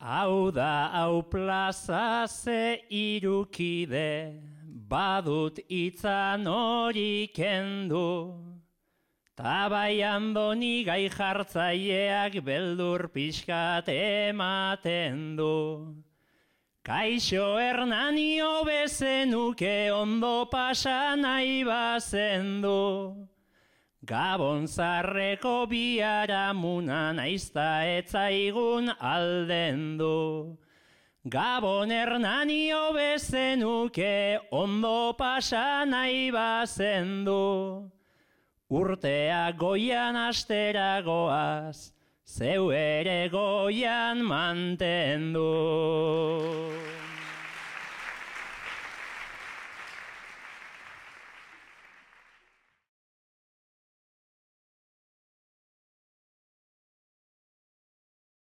Hau da hau plaza ze irukide, badut itzan hori kendu. Ta bai Andoni gai jartzaileak beldur pixkat ematen du. Kaixo Hernani hobezenuke ondo pasa nahi bazendu. Gabon zarreko biharamuna naizta etzaigun aldendu. Gabon Hernani hobezenuke ondo pasa nahi bazendu. Urtea goian astera goaz, zeu ere goian mantendu.